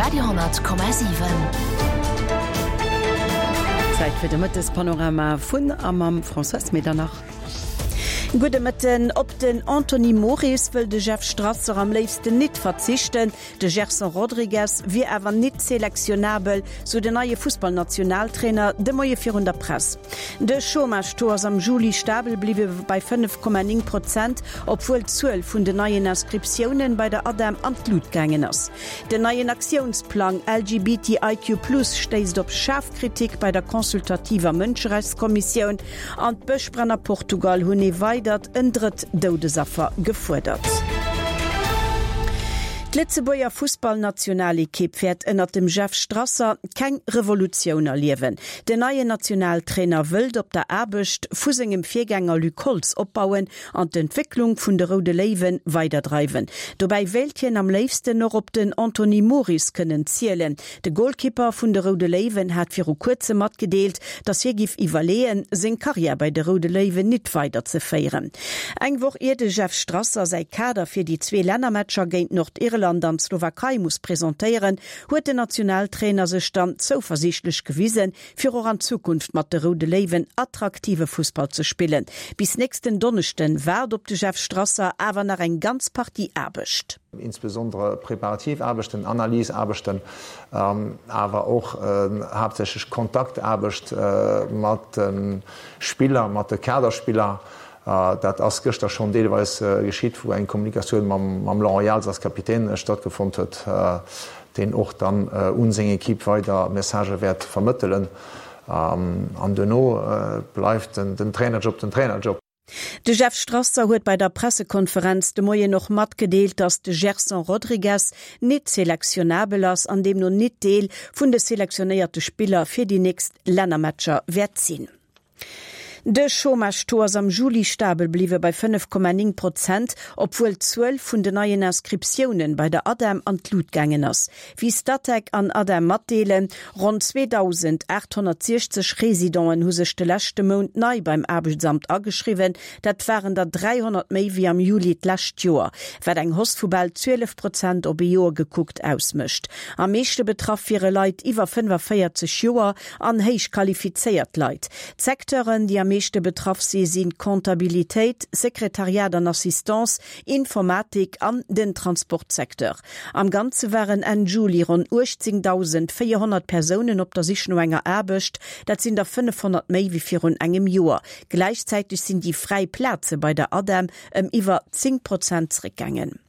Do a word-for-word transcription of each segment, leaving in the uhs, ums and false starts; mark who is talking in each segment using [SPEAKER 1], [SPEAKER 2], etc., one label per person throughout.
[SPEAKER 1] Radio honnert Komma siwen.
[SPEAKER 2] Zäit fir de Mëttespanorama vun a mam Françoise Medernach. Gudde Mëtten. Op den Anthony Moris wëll de Jeff Strasser am léifsten nit verzichten. De Gerson Rodrigues wier awer nit selektionabel, sou den neie Fussballnationaltrainer de Moie virun der Press. De Chômage-Taux ass am Juli stabel bliwwe bei fënnef Komma néng Prozent, obwuel d'Zuel vun den neien Inscriptiounen bei der ADEM an d'Lut gaangen ass. Den neien Aktiounsplang L G B T I Q Plus stéisst op schaarf Kritik bei der consultativer Mënscherechtskommissioun an d'Bëschbränn a Portugal hunn ee weidert en drëtt Doudesaffer gefuerdert. D'Lëtzebuerger Fussballnationalekipp wäert ënnert dem Jeff Strasser keng Revolutioun erliewen. Den neien Nationaltrainer wëllt op der Aarbecht vu sengem Virgänger Luc Holtz opbauen an d'Entwécklung vun de Roude Léiwe weiderdreiwen. Dobäi wéilt hien am léifsten och op den Anthony Moris kënnen zielen. De Golkipper vun de Roude Léiwen hat viru kuerzem matgedeelt, datt hie giff iwwerleeën, seng Karriär bei de Roude Léiwen nit weiderzeféieren. Eng Woch ier de Jeff Strasser säi Kader fir déi zwee Lännermatcher géint Nordirland an d'Slowakei muss presentéieren, huet den Nationaltrainer sech dann zouversiichtlech gewisen, fir och an Zukunft mat de Roude Léiwen attraktive Fussball ze spillen. Bis nächsten Donneschden waart op de Jeff Strasser awer nach eng ganz Partie Aarbecht.
[SPEAKER 3] Insbesondere preparativ Aarbechten, Analysaarbechten, awer och haaptsächlech Kontaktaarbecht mat de Spiller, mat de Kaderspiller. Dat ass gëschter schonn deelweis geschitt, wou eng Kommunikatioun mam Laurent Jals als Kapitän stattgefonnt huet, deen och dann un seng Equipe weider Messagë wäert vermëttelen. An duerno bleift den Trainerjob den Trainerjob.
[SPEAKER 2] De Jeff Strasser huet bei der Pressekonferenz de Moien och matgedeelt, datt de Gerson Rodrigues nit selektionabel ass an deemno nit Deel vun de selektionéierte Spiller fir déi nächst Lännermatcher wäert sinn. De Chômage-Taux ass am Juli stabel bliwwe bei fënnef Komma néng Prozent, obwuel d'Zuel vun den neien Inscriptiounen bei der ADEM an d'Lut gaangen ass. Wéi Statec an ADEM matdeelen, ronn zweedausendaathonnertsiechzeg Residenten hu sech de leschte Mount nei beim Aarbechtsamt ageschriwwen, dat waren der dräihonnert méi wéi am Juli d'lescht Joer, wat eng Hausse vu bal zwielef Prozent op ee Joer gekuckt ausmécht. Am meeschte betraff wiere Leit iwwer fënnefaféierzeg Joer an héich qualifizéiert Leit. D'Secteuren, déi am meeschte betraff si sinn Comptabilitéit, Sekretariat an Assistance, Informatik an den Transportsecteur. Am Ganze waren Enn Juli ronn uechtzéngdausendvéierhonnert Persounen op der Sich no enger Aarbecht, dat sinn der fënnefhonnert méi wéi virun engem Joer. Gläichzäiteg sinn déi fräi Plaze bei der ADEM ëm iwwer zéng Prozent zeréckgaangen.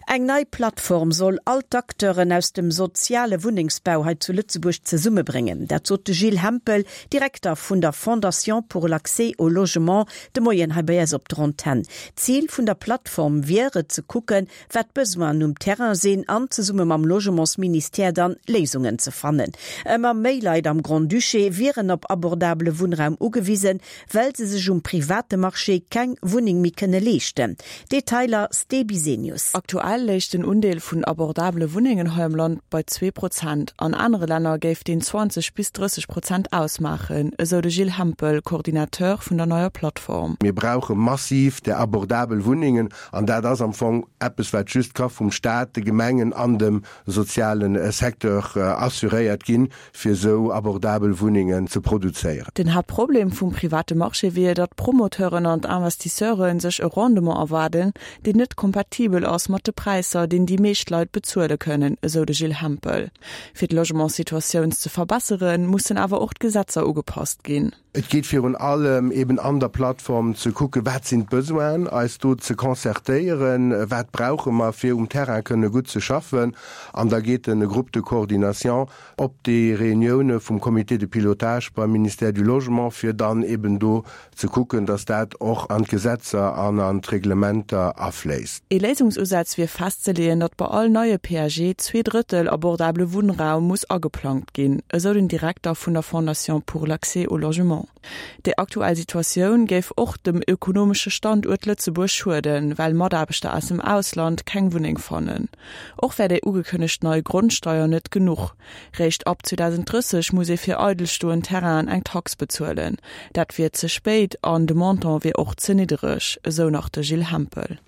[SPEAKER 2] Eng nei Plattform soll all d'Acteuren aus dem soziale Wunnengsbau hei zu Lëtzebuerg zesummebréngen. Dat sot de Gilles Hempel, Direkter vun der Fondation pour l'accès au logement, de Moien hei bei eis op der Antenn. Zil vun der Plattform wier et ze kucken, wat d'Besoinen um Terrain sinn an zesumme mam Logementsministère dann Léisungen ze fannen. Ëmmer méi Leit am Grand-Duché wieren op abordabele Wunnraum ugewisen, well se sech um private Marché keng Wunneng méi kënne leeschten. Detailer Ste Bisenius.
[SPEAKER 4] Aktuell léich den Undeel vun abordabele Wunnengen hei am Land bei zwee Prozent. An anere Länner géif deen zwanzeg bis drësseg Prozent ausmaachen, esou de Gilles Hempel, Coordinateur vun der neier Plattform.
[SPEAKER 5] Mir brauche massiv där abordabel Wunnengen an dat ass am Fong eppes, wat just ka vum Staat, de Gemengen an dem soziale Secteur assuréiert ginn, fir esou abordabel Wunnengen ze produzéieren.
[SPEAKER 4] Den Haaptproblem vum private Marché wier, datt d'Promoteuren an d'Investisseure sech e Rendement erwaarden, deen net kompatibel ass mat de Präisser, deen déi meescht Leit bezuele kënnen, esou de Gilles Hempel. Fir d'Logementssituatioun ze verbesseren, mussen awer och d'Gesetzer ugepasst ginn.
[SPEAKER 5] Et geet virun allem eben an der Plattform ze kucken, wat sinn d'Besoinen, eis do ze concertéieren, wat brauche mer, fir um Terrain kënne gutt ze schaffen. An da geet de Groupe de coordination op déi Reunioune vum Comité de pilotage beim Ministère du Logement, fir dann eben do ze kucken, dass dat och an d'Gesetzer an an d'Reglementer afléisst.
[SPEAKER 4] Ee Léisungsusaz wier festzeleeën, datt bei all neie P A G zwee Drëttel abordabele Wunnraum muss ageplangt ginn, esou den Direkter vun der Fondation pour l'accès au logement. Déi aktuell Situatioun géif och dem ökonomesche Standuert Lëtzebuerg schueden, well Mataarbechter aus dem Ausland keng Wunneng fannen. Och wär déi ugekënnegt nei Grondsteier net genuch. Réischt ab zweedausendrësseg muss ee fir eidelstoend Terrainen eng Tax bezuelen. Dat wier ze spéit an de Montant wier och ze niddereg, esou nach de Gilles Hempel.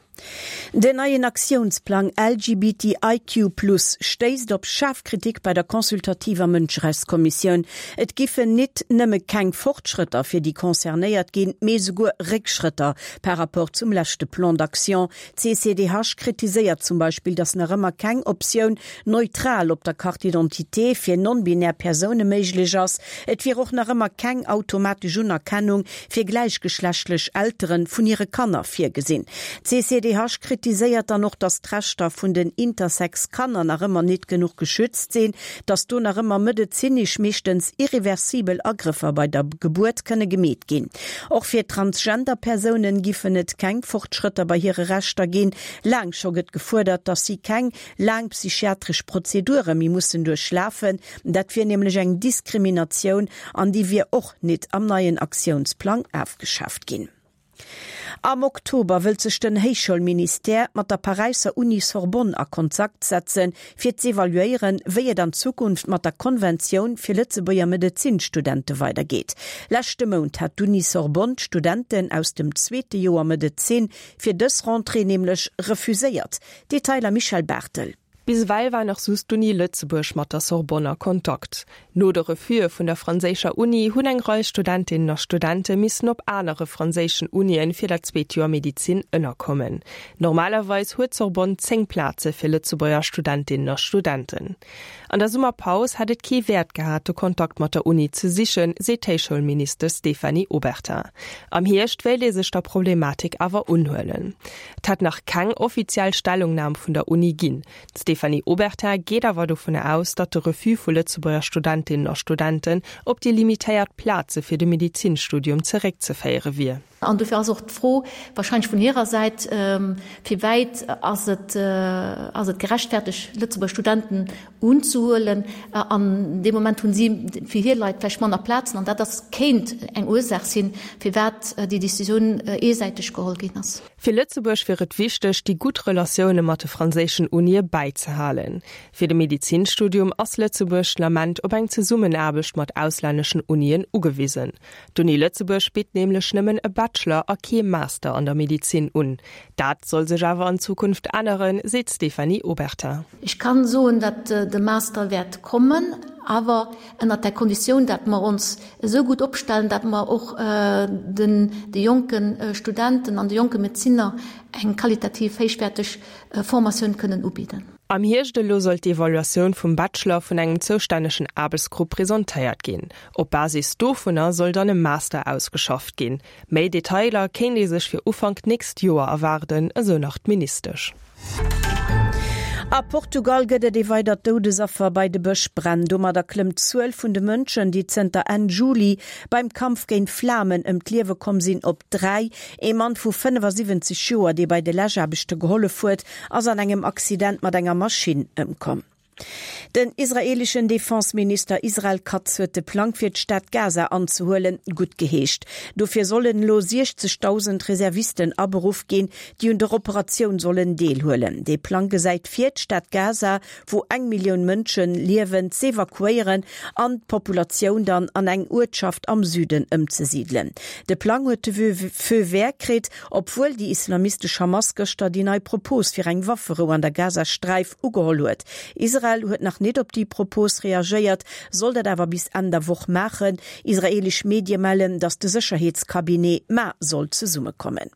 [SPEAKER 2] Den neien Aktiounsplang LGBTIQ plus stéisst op schaarf Kritik bei der consultativer Mënscherechtskommissioun. Et giffen nit nëmme keng Fortschrëtter fir déi Concernéiert ginn, mee souguer Réckschrëtter par rapport zum leschte Plan d'action. D'CCDH kritiséiert zum Beispill, datt nach ëmmer keng Optioun neutral op der Carte d'identité fir non-binär Persoune méiglech ass. Et wier och nach ëmmer keng automatesch Unerkennung fir gläichgeschlechtlech Eltere vun hire Kanner virgesinn. D'CCDH kritiséiert dann och, datt d'Rechter vun den Intersex-Kanner nach ëmmer nit genuch geschützt sinn, datt do nach ëmmer medezinesch meeschtens irreversibel Agrëffer bei der Gebuert kënne gemeet ginn. Och fir Transgender-Persounen giffen et keng Fortschrëtter bei hire Rechter ginn. Laang scho gëtt gefuerdert, datt si keng laang psychiatresch Prozedure méi mussen duerchlafen. Dat wier nämlech eng Diskriminatioun an déi wier och nit am neien Aktiounsplang afgeschaaft ginn. Am Oktober wëllt sech den Héichschoulministère mat der Paräisser Uni Sorbonne a Kontakt setzen, fir z'evaluéieren, wéi et an Zukunft mat der Konventioun fir Lëtzebuerger Medezinstudente weidergeet. Leschte Mount hat d'Uni Sorbonne d'Studenten aus dem zweete Joer Medezin fir dës Rentrée nämlech refuséiert. Detailer Michèle Barthel.
[SPEAKER 1] Bis ewell war nach just d'Uni Lëtzebuerg mat der Sorbonne a Kontakt. No de Refuse vun der franséischer Uni hunn eng Rei Studentinnen a Studente missen op anere franséischen Unien fir dat zweet Joer Medezin ënnerkommen. Normalerweis huet d'Sorbonne zéng Plaze fir Lëtzebuerger Studentinnen a Studenten. An der Summerpaus hätt et kee Wäert gehat, de Kontakt mat der Uni ze sichen, seet d'Héichschoulministesch Stéphanie Obertin. Am Hierscht wéilt ee sech der Problematik awer unhuelen. Et hätt nach keng offiziell Stellungnam vun der Uni ginn. D'Stéphanie Obertin geet awer dovun aus, datt de Refus vu Lëtzebuerger Studentinnen a Studenten op déi limitéiert Plaze fir de Medezinstudium zeréckzeféiere wier.
[SPEAKER 6] An dofir ass och d'Fro warscheinlech vun hirer Säit, Wéi wäit ass et, ass et gerechtfertegt, Lëtzebuerger Studenten unzehuelen? An deem Moment hunn si fir hir Leit vläicht manner Plazen. An dat ass, kéint eng Ursaach sinn, firwat déi Decisioun eesäiteg geholl ginn ass.
[SPEAKER 1] Fir Lëtzebuerg wier et wichteg, déi gutt Relatioune mat de franséischen Unie bäizehalen. Fir de Medezinstudium ass Lëtzebuerg den Ament op eng Zesummenaarbecht mat auslänneschen Unien ugewisen. D'Uni Lëtzebuerg bitt nämlech nëmmen e Bachelor a kee Master an der Medezin un. Dat soll sech awer an Zukunft änneren, seet d'Stéphanie Obertin.
[SPEAKER 6] Ech kann soen, datt de Master wäert kommen, awer ënnert der Konditioun, datt mer ons esou gutt opstellen, datt mer och den de jonke Studenten an de jonke Medezinner eng qualitativ héichwäerteg Formatioun kënnen ubidden.
[SPEAKER 1] Am Hierscht elo soll d'Evaluatioun vum Bachelor vun engem zoustännegen Aarbechtsgrupp presentéiert ginn. Op Basis dovunner soll dann e Master ausgeschafft ginn. Méi Detailer kéint ee sech fir Ufank d'nächst Joer erwaarden, esou nach d'Ministesch.
[SPEAKER 2] A Portugal gëtt et ee weidert Doudesaffer bei de Bëschbränn. Domadder klëmmt d'Zuel vun de Mënschen, déi zënter Enn Juli beim Kampf géint d'Flamen ëm d'Liewe komm sinn, op dräi. Ee Mann vu fënnefasiwwenzeg Joer, dee bei de Läschaarbechte gehollef huet, ass an engem Accident mat enger Maschinn ëmkomm. Den israeeleschen Defenseminister Israel Katz huet de Plang fir d'Stad Gaza anzehuelen guttgeheescht. Dofir sollen elo siechzegdausend Reservisten aberuff ginn, déi un der Operatioun sollen deelhuelen. Dee Plang gesäit vir, d'Stad Gaza, wou eng Millioun Mënsche liewen, z'evakuéieren an d'Populatioun dann an eng Uertschaft am Süden ëmzesidelen. De Plang huet de Feu vert kritt, obwuel déi islamistesch Hamas gëschter déi nei Propos fir eng Wafferou an der Gazasträif ugeholl huet. Israel huet nach net op déi Propos reagéiert, soll dat awer bis Enn der Woch maachen. Israeelesch Medie mellen, datt de Sécherheetscabinet mar soll zesummekommen.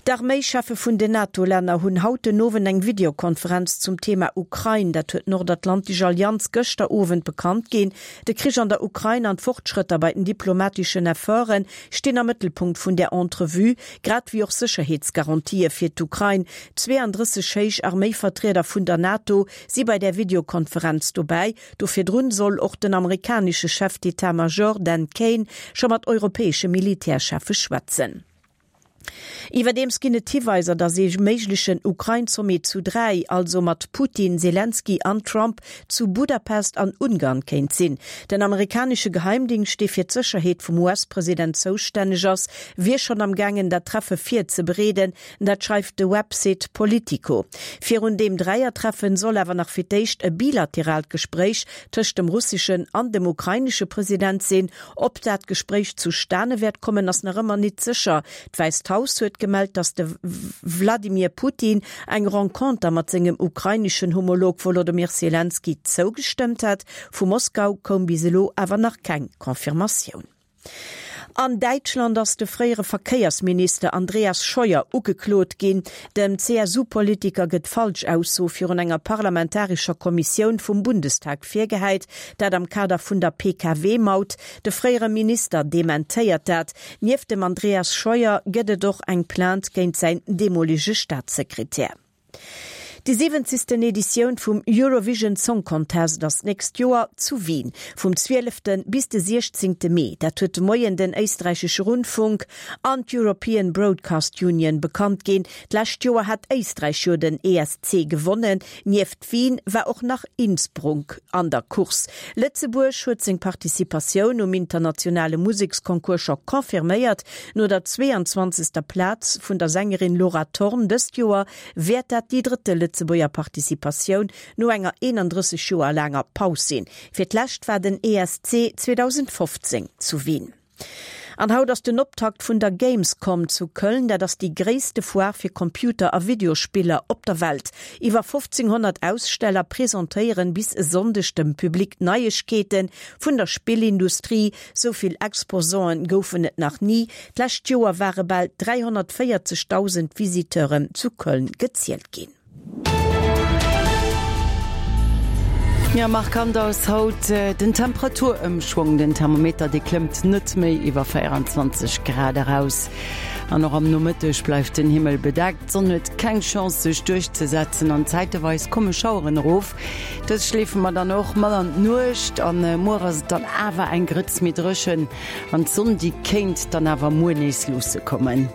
[SPEAKER 2] D'Arméischeffe vun den NATO-Länner hunn haut den Owend eng Videokonferenz zum Thema Ukrain. Dat huet d'Nordatlantesch Allianz gëschter Owend bekannt ginn. De Krich an der Ukrain an d'Fortschrëtter bei den diplomateschen Efforte stinn am Mëttelpunkt vun der Entrevue, grad wéi och Sécherheetsgarantië fir d'Ukrain. Zweeandrësseg héich Arméivertrieder vun der NATO si bei där Videokonferenz dobäi. Do virdrun soll och den amerikanesche Chef d'État-Major Dan Caine scho mat europäesche Militärcheffe schwätzen. Iwwerdeems ginn et Hiweiser, datt ee méiglechen Ukrain-Sommet zu dräi, also mat Putin, Selenskyj an Trump, zu Budapest an Ungarn kéint sinn. Den amerikanesche Geheimdingscht, dee fir d'Sécherheet vum U S-President zoustänneg ass, wier schonn am gaangen, dat Treffe virzebereeden. Dat schreift de Website Politico. Virun deem Dräiertreffen soll awer nach fir d'éischt e bilateraalt Gespréich tëscht dem russeschen an dem ukrainesche President sinn. Ob dat Gespréich zustane wäert kommen, ass nach ëmmer net sécher. D'Wäisst Haus huet gemellt, datt de Wladimir Putin eng Renconter mat sengem ukraineschen Homolog Wolodymyr Selenskyj zougestëmmt hat. Vu Moskau koum bis elo awer nach keng Confirmatioun. An Däitschland ass de fréiere Verkéiersminister Andreas Scheuer ugeklot ginn. Dem CSU-Politiker gëtt Falschaussoe virun enger parlamentarescher Kommissioun vum Bundestag virgehäit, dat am Kader vun der Pkw-Maut. De fréiere Minister dementéiert dat. Nieft dem Andreas Scheuer gëtt et och eng Plainte géint säin deemolege Staatssekretär. Déi siwwenzegsten Editioun vum Eurovision Song Contest ass d'nächst Joer zu Wien, vum zwielefte bis de siechzéngte Mee. Dat huet de Moien den éisträichesche Rundfunk an d'European Broadcast Union bekannt ginn. D'lescht Joer hat Éisträich jo den ESC gewonnen. Nieft Wien war och nach Innsbruck an der Course. Lëtzebuerg huet seng Participatioun um internationale Museksconcours scho confirméiert. No der zweeanzwanzegster Plaz vun der Sängerin Laura Thorn dëst Joer wäert dat déi drëtte Lëtzebuerger Participatioun no enger eenandrësseg Joer laanger Paus sinn. Fir d'lescht war den ESC zweedausendfofzéng zu Wien. An haut ass den Optakt vun der Gamescom zu Köln. Dat ass déi gréisste Foire fir Computer a Videospiller op der Welt. Iwwer fofzénghonnert Aussteller presentéieren bis e Sonndeg dem Public Neiegkeete vun der Spillindustrie. Sou vill Exposanten goufen et nach ni. D'lescht Joer ware bal dräihonnertvéierzegdausend Visiteuren zu Köln gezielt ginn.
[SPEAKER 7] Jo, markant ass haut den Temperaturëmschwong. Den Thermometer, dee klëmmt net méi iwwer véieranzwanzeg Grad eraus. An och am Nomëtteg bleift den Himmel bedeckt, d'Sonn huet keng Chance sech duerchzesetzen an zäiteweis komme Schaueren erof. Dës schleefe mer dann och mat an d'Nuecht an muer ass et dann awer eng Grëtz méi dréchen an d'Sonn, déi kéint dann awer muer nees luusse kommen.